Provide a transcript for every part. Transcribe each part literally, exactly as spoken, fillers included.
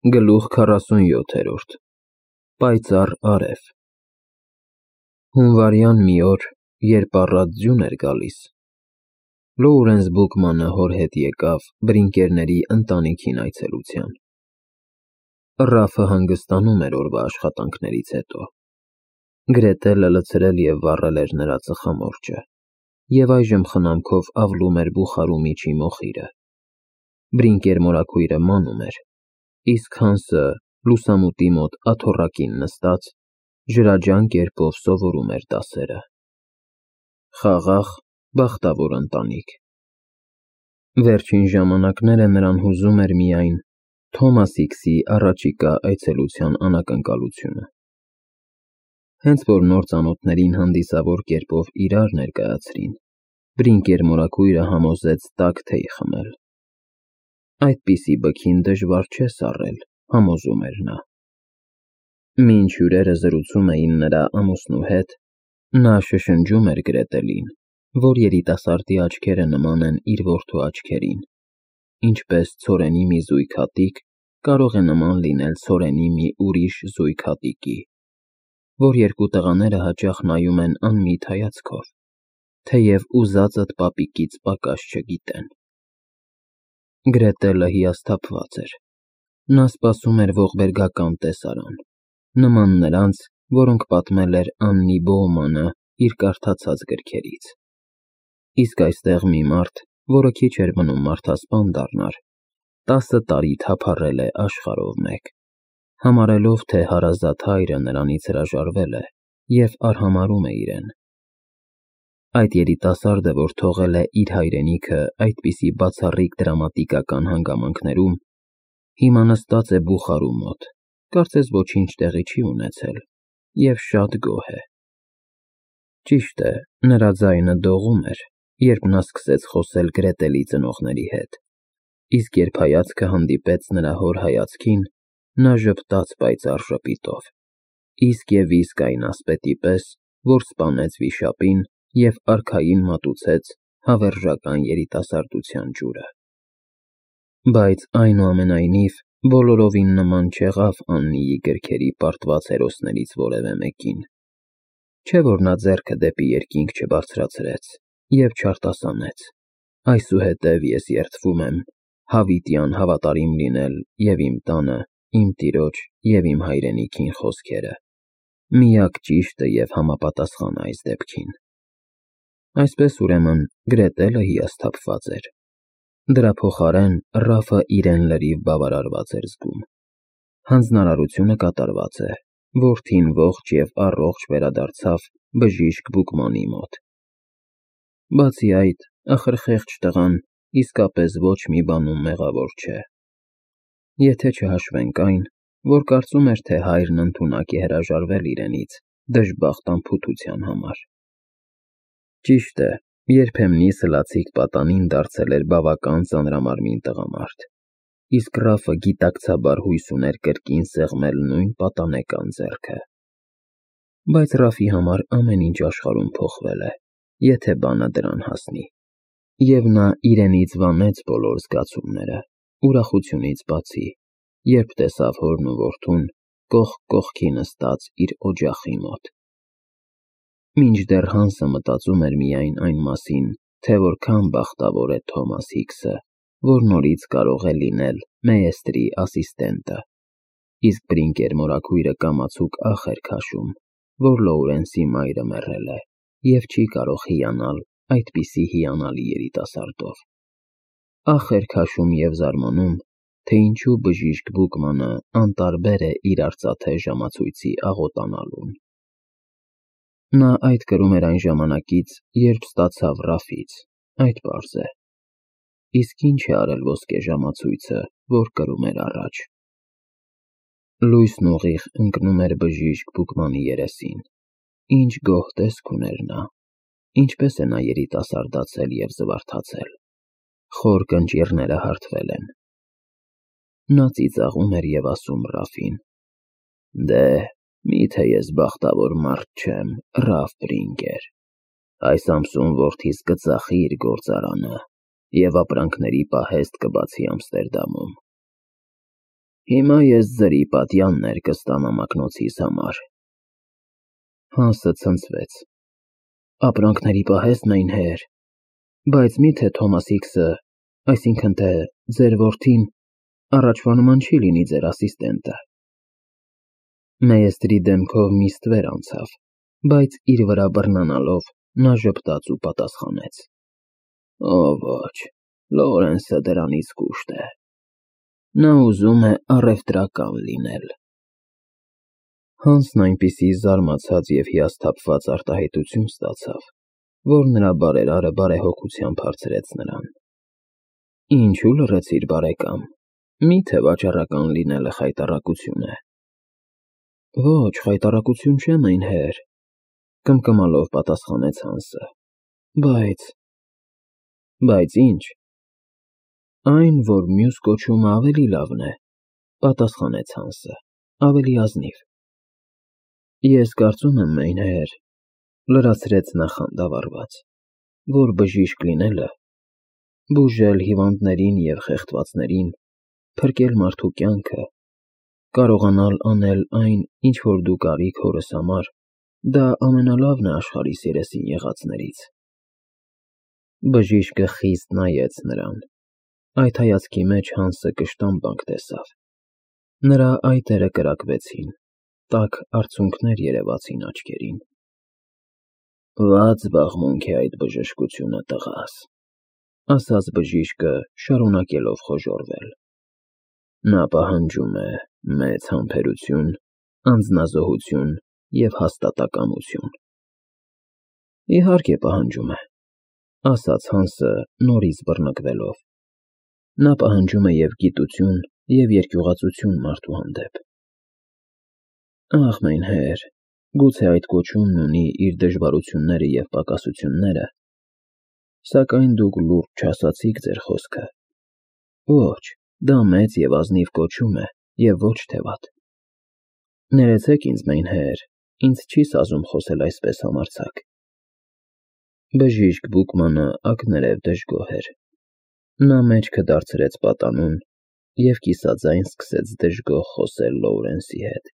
Գլուխ քառասունյոթերորդ Պայծառ արև Հունվարյան մի օր, երբ առատ ձյուն էր գալիս, Լոուրենս Բուքմանը հոր հետ եկավ Բրինկերների ընտանիքին այցելության։ Ռաֆը հանգստանում էր օրվա աշխատանքներից հետո։ Գրետելը լցրել և վառել էր նրա ծխամորճը, և այժմ խնամքով ավլում էր բուխարու միջի մոխիրը։ Բրինկեր մորաքույրը մանում էր, իսկ Հանսը, լուսամուտի մոտ աթոռակին նստած, ջրաջան կերպով սովորում էր դասերը։ Խաղաղ, բախտավոր ընտանիք։ Վերջին ժամանակները նրան հուզում էր միայն Թոմաս Հիքսի առաջիկա այցելության անակնկալությունը։ Հենց որ նոր ծանոթներին հանդիսավոր կերպով իրար ներկայացրին, Բրինկեր մորաքույրը համոզեց տաք թեյ խմել։ Այդպիսի բքին դժվար չէ սառել, համոզում էր նա։ Մինչ հյուրերը զրուցում էին նրա ամուսնու հետ, նա շշնջում էր Գրետելին, որ երիտասարդի աչքերը նման են իր որդու աչքերին, ինչպես ցորենի մի զույգ հատիկ կարող է նման լինել ցորենի մի ուրիշ զույգ հատիկի, որ երկու տղաները հաճախ նայում են անմիտ հայացքով, թեև ուզածդ պապիկից պակաս չգիտեն։ Գրետելը հիասթափված էր։ Նա սպասում էր ողբերգական տեսարան, նման նրանց, որոնք պատմել էր Աննի Բոումանը իր կարդացած գրքերից։ Իսկ այստեղ մի մարդ, որը քիչ էր մնում մարդասպան դառնար, տասը տարի թափառել է աշխարհով մեկ, համարելով, թե հարազատ հայրը նրանից հրաժարվել է և արհամարհում է իրեն։ Այդ երիտասարդը, որ թողել է իր հայրենիքը այդպիսի բացառիկ դրամատիկական հանգամանքներում, հիմա նստած է բուխարու մոտ, կարծես ոչինչ տեղի չի ունեցել, և շատ գոհ է։ Ճիշտ է, նրա ձայնը դողում էր, երբ նա սկսեց խոսել Գրետելի ծնողների հետ, իսկ երբ հայացքը հանդիպեց նրա հոր հայացքին, նա ժպտաց պայծառ ժպիտով, իսկ և իսկ այն ասպետի պես, որ սպանեց վիշապին և արքային մատուցեց հավերժական երիտասարդության ջուրը։ Բայց այնուամենայնիվ բոլորովին նման չեղավ Աննիի գրքերի պարտված հերոսներից որևէ մեկին, չէ՞ որ նա ձեռքը դեպի երկինք չբարձրացրեց և չարտասանեց. այսուհետև ես երդվում եմ հավիտյան հավատարիմ լինել և իմ տանը, իմ տիրոջ և իմ հայրենիքին խոսքերը, միակ ճիշտը և համապատասխանը այս դեպքին։ Այսպես, ուրեմն, Գրետելը հիասթափված էր։ Դրա փոխարեն Ռաֆը իրեն լրիվ բավարարված էր զգում։ Հանձնարարությունը կատարված է, որդին ողջ և առողջ վերադարձավ բժիշկ Բուկմանի մոտ։ Բացի այդ, ախր խեղճ տղան իսկապես ոչ մի բանում մեղավոր չէ, եթե չհաշվենք այն, որ կարծում էր, թե հայրն ընդունակ է հրաժարվել իրենից դժբախտ անփութության համար։ Ճիշտ է, երբեմնի սլացիկ պատանին դարձել էր բավական ծանրամարմին տղամարդ, իսկ Ռաֆը գիտակցաբար հույս ուներ կրկին սեղմել նույն պատանեկան ձեռքը։ Բայց Ռաֆի համար ամեն ինչ աշխարհում փոխվել է, եթե բանը դրան հասնի, և նա իրենից վանեց բոլոր զգացումները, ուրախությունից բացի, երբ տեսավ հորն ու որդուն կողք կողքի նստած իր օջախի մոտ։ Մինչդեռ Հանսը մտածում էր միայն այն մասին, թե որքան բախտավոր է Թոմաս Հիքսը, որ նորից կարող է լինել Մեեստրի ասիստենտը, իսկ Բրինկեր մորաքույրը կամացուկ ախ էր քաշում, որ Լոուրենսի մայրը մեռել է և չի կարող հիանալ այդպիսի հիանալի երիտասարդով։ Ախ էր քաշում և զարմանում, թե ինչու բժիշկ Բուկմանը անտարբեր է իր արծաթե ժամացույցի աղոտանալուն։ Նա այդ կրում էր այն ժամանակից, երբ ստացավ Ռաֆից, այդ պարզ է։ Իսկ ինչ է արել ոսկե ժամացույցը, որ կրում էր առաջ։ Լույսն ուղիղ ընկնում էր բժիշկ Բուկմանի երեսին։ Ինչ գոհ տեսք ուներ նա, ինչպես է նա երիտասարդացել և զվարթացել։ Խոր կնճիռները հարթվել են։ Նա ծիծաղում էր և ասում Ռաֆին. «Դե, մի՞թե ես բախտավոր մարդ չեմ, Ռաֆ Բրինկեր։ Այս ամսում որդիս կծախի իր գործարանը և ապրանքների պահեստ կբացի Ամստերդամում»։ Հիմա ես ձրի պատյաններ կստամ ամակնոցիս համար։ Հանսը ցնցվեց։ Ապրանքների պահես մեյնհեր, բայց մի՞թե Թոմաս Հիքսը, այսինքն թե ձեր որդին, առաջվա նման չի լինի ձեր ասիստենտը։ Մեյստրի դեմքով մի ստվեր անցավ, բայց իր վրա բռնանալով նա ժպտաց ու պատասխանեց. Օ ոչ, Լորենսը դրանից կուշտ է։ Նա ուզում է առևտրական լինել։ Հանսն այնպիսի զարմացած և հիասթափված արտահայտություն ստացավ, որ նրա բարերարը բարեհոգությամբ հարցրեց նրան. Ինչու լռեցիր, բարեկամ, մի՞թե վաճառական լինելը խայտառակություն է։ Ոչ, խայտառակություն չէ, մեյնհեր, կմկմալով պատասխանեց Հանսը, բայց… Բայց ի՞նչ։ Այն, որ մյուս կոչումը ավելի լավն է, պատասխանեց Հանսը, ավելի ազնիվ։ Ես կարծում եմ, մեյնհեր, լրացրեց նա խանդավառված, որ բժիշկ լինելը, բուժել հիվանդներին և խեղդվածներին, փրկել մարդու կյանքը, կարողանալ անել այն, ինչ որ դուք արիք հորս համար, դա ամենալավն է աշխարհիս երեսին եղածներից։ Բժիշկը խիստ նայեց նրան, այդ հայացքի մեջ Հանսը կշտամբանք տեսավ։ Նրա այտերը կրակվեցին, տաք արցունքներ երևացին աչքերին։ Վատ զբաղմունք է այդ բժշկությունը, տղաս, ասաց բժիշկը, շարունակելով խոժոռվել։ Նա պահանջում է մեծ համբերություն, անձնազոհություն և հաստատակամություն։ Իհարկե պահանջում է, ասաց Հանսը նորից բռնկվելով։ Նա պահանջում է և գիտություն, և երկյուղածություն մարդու հանդեպ։ Ախ, մեյնհեր, գուցե այդ կոչումն ունի իր դժվարությունները և պակասությունները, սակայն դուք լուրջ չասացիք ձեր խոսքը։ Ոչ, դա մեծ և ազնիվ կոչում է և ոչ թե վատ։ Ներեցեք ինձ, մեյնհեր, ինձ չի սազում խոսել այսպես համարձակ։ Բժիշկ Բուկմանը ակներև դժգոհ էր։ Նա մեջքը դարձրեց պատանուն և կիսաձայն սկսեց դժգոհ խոսել Լոուրենսի հետ։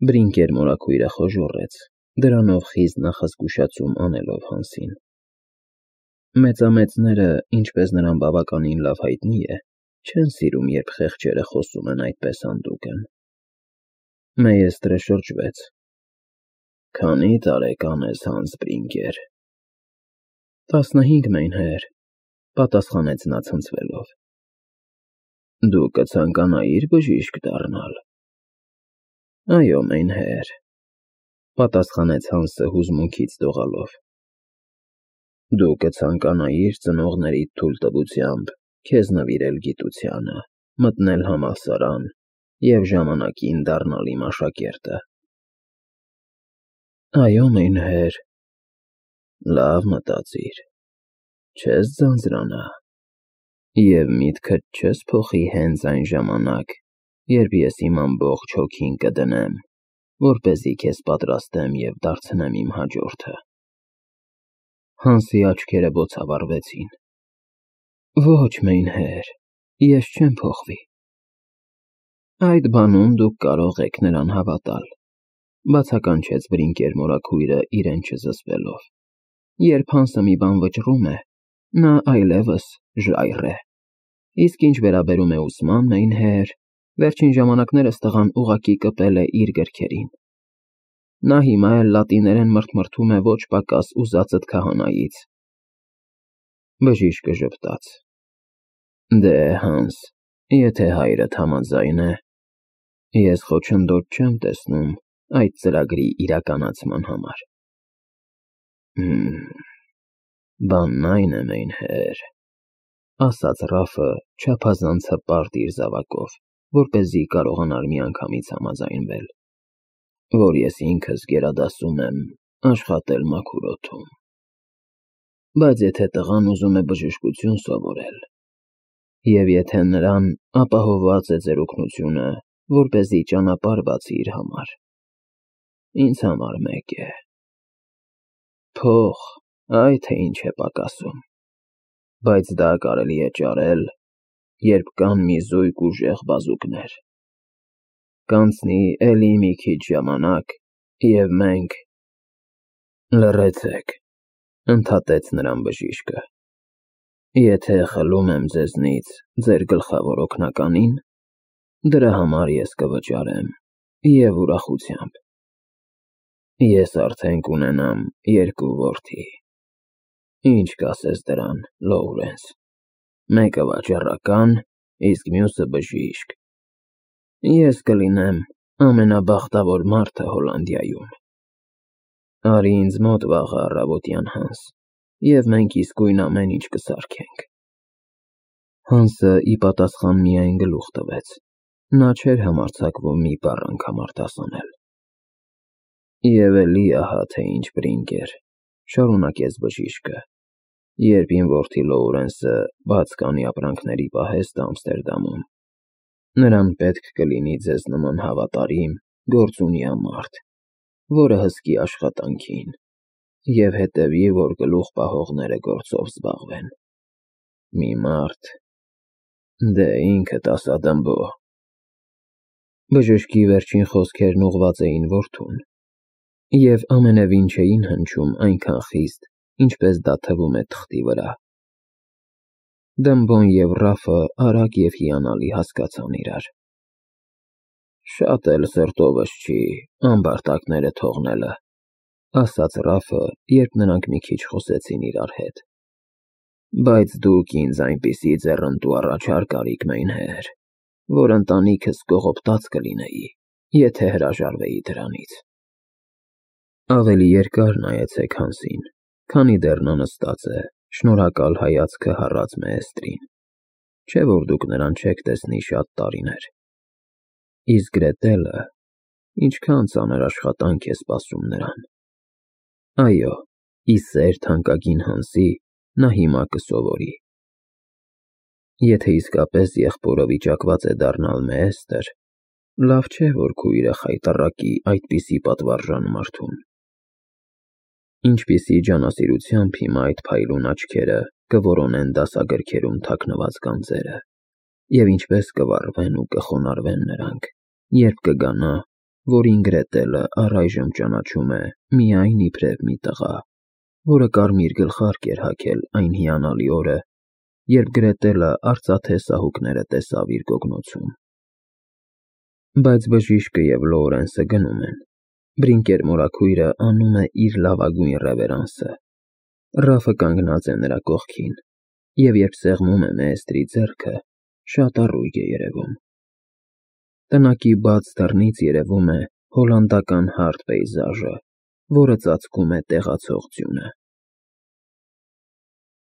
Բրինկեր մորաքույրը խոժոռեց, դրանով խիստ նախազգուշացում անելով Հանսին։ Մեծամեծները, ինչպես նրան բավականին լավ հայտնի է, չեն սիրում, երբ խեղճերը խոսում են այդպես հանդուգն։ Մեյստրը շրջվեց։ Քանի՞ տարեկան ես, Հանս Բրինկեր։ Տասնհինգ, մեյնհեր, պատասխանեց նա ցնցվելով։ Դու կցանկանայի՞ր բժիշկ դառնալ։ Այո, մեյնհեր, պատասխանեց Հանսը հուզմունքից դողալով։ Դու կցանկանայի՞ր ծնողներիդ թույլտվությամբ քեզ նվիրել գիտությանը, մտնել համալսարան և ժամանակին դառնալ իմ աշակերտը։ Այո, մեյնհեր։ Լավ մտածիր, չես ձանձրանա և միտքդ չես փոխի հենց այն ժամանակ, երբ ես իմ ամբողջ հոգին կդնեմ, որպեսզի քեզ պատրաստեմ և դարձնեմ իմ հաջորդը։ Հանսի աչքերը բոցավառվեցին։ Ոչ, մեյնհեր, ես չեմ փոխվի։ Այդ բանում դուք կարող եք նրան հավատալ, բացականչեց Բրինկեր մորաքույրը իրեն չզսպելով։ Երբ Հանսը մի բան վճռում է, նա այլևս ժայռ է։ Իսկ ինչ վերաբերում է ուսման, մեյնհեր, վերջին ժամանակներս տղան ուղղակի կպել է իր գրքերին։ Նա հիմա էլ լատիներեն մրթմրթում է ոչ պակաս ուզածդ քահանայից։ Բժիշկը ժպտաց։ Դե, Հանս, եթե հայրդ համաձայն է, ես խոչընդոտ չեմ տեսնում այդ ծրագրի իրականացման համար։ Հըմ, բանն այն է, մեյնհեր, ասաց Ռաֆը չափազանց հպարտ իր զավակով, որպեսզի կարողանար միանգամից համաձայնվել, որ ես ինքս գերադասում եմ աշխատել մաքուր օդում։ Բայց եթե տղան ուզում է բժշկություն սովորել, և եթե նրան ապահովված է ձեր օգնությունը, որպեսզի ճանապարհ բացի իր համար, ինձ համար մեկ է։ Փող, այ թե ինչ է պակասում, բայց դա կարելի է ճարել երբ կան մի զույգ ուժեղ բազուկներ։ Կանցնի էլի մի քիչ ժամանակ, և մենք… Լռեցեք, ընդհատեց նրան բժիշկը։ Եթե խլում եմ ձեզնից ձեր գլխավոր օգնականին, դրա համար ես կվճարեմ, և ուրախությամբ։ Ես արդեն կունենամ երկու որդի։ Ինչ կասես դրան, Լոուրենս։ Մեկը վաճառական, իսկ մյուսը բժիշկ։ Ես կլինեմ ամենաբախտավոր մարդը Հոլանդիայում։ Արի ինձ մոտ վաղը առավոտյան, Հանս, և մենք իսկույն ամեն ինչ կսարքենք։ Հանսը ի պատասխան միայն գլուխ տվեց, նա չէր համարձակվում մի բառ անգամ արտասանել։ Եվ էլի ահա թե ինչ բրինգեր, շարունակեց բժիշկը, երբ իմ որդի Լոուրենսը բաց կանի ապրանքների պահեստ Ամստերդամում, նրան պետք կլինի ձեզ նման հավատարիմ, գործունյա մարդ, որը հսկի աշխատանքին և հետևի, որ գլուխ պահողները գործով զբաղվեն։ Մի մարդ… Դե ինքդ ասա, Դմբո։ Բժշկի վերջին խոսքերն ուղղված էին որդուն, և ամենևին չէին հնչում այնքան խիստ, ինչպես դա թվում է թղթի վրա։ Դմբոն և Ռաֆը արագ և հիանալի հասկացան իրար։ Շատ էլ սրտովս չի ամբարտակները թողնելը, ասաց Ռաֆը, երբ նրանք մի քիչ խոսեցին իրար հետ, բայց դուք ինձ այնպիսի ձեռնտու առաջարկ արիք, մայնհեր, որ ընտանիքս կողոպտած կլինեի, եթե հրաժարվեի դրանից։ Ավելի երկար նայեցեք Հանսին, քանի դեռ նա նստած է, շնորհակալ հայացքը հառած Մեեստրին, չէ՞ որ դուք նրան չեք տեսնի շատ տարիներ։ Իսկ Գրետելը… ինչքան ծանր աշխատանք է սպասում նրան։ Այո, ի սեր թանկագին Հանսի նա հիմա կսովորի։ Եթե իսկապես եղբորը վիճակված է դառնալ Մեեստր, լավ չէ, որ քույրը խայտառակի այդպիսի պատվարժան մարդուն։ Ինչպիսի ջանասիրությամբ հիմա այդ փայլուն աչքերը կորոնեն դասագրքերում թաքնված գանձերը, և ինչպես կվառվեն ու կխոնարհվեն նրանք, երբ կգա նա, որին Գրետելը առայժմ ճանաչում է միայն իբրև մի տղա, որը կարմիր գլխարկ էր հագել այն հիանալի օրը, երբ Գրետելը արծաթե սահուկները տեսավ իր գոգնոցում։ Բայց բժիշկը և Լոուրենսը գնում են, Բրինկեր մորաքույրը անում է իր լավագույն ռևերանսը, Ռաֆը կանգնած է նրա կողքին, և երբ սեղմում է Մեեստրի ձեռքը, շատ առույգ է երևում։ Տնակի բաց դռնից երևում է հոլանդական հարթ պեյզաժը, որը ծածկում է տեղացող ձյունը։